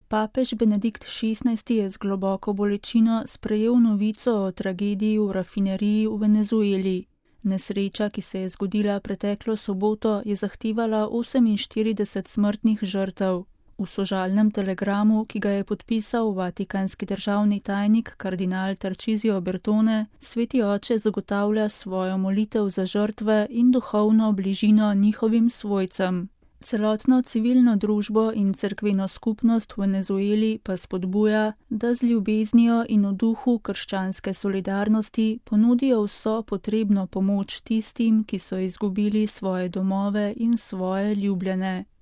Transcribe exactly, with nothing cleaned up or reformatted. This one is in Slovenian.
Papež Benedikt šestnajsti je z globoko bolečino sprejel novico o tragediji v rafineriji v Venezueli. Nesreča, ki se je zgodila preteklo soboto, je zahtevala oseminštirideset smrtnih žrtev. V sožalnem telegramu, ki ga je podpisal vatikanski državni tajnik kardinal Tarcisio Bertone, sveti oče zagotavlja svojo molitev za žrtve in duhovno bližino njihovim svojcem. Celotno civilno družbo in cerkveno skupnost v Venezueli pa spodbuja, da z ljubeznijo in v duhu krščanske solidarnosti ponudijo vso potrebno pomoč tistim, ki so izgubili svoje domove in svoje ljubljene.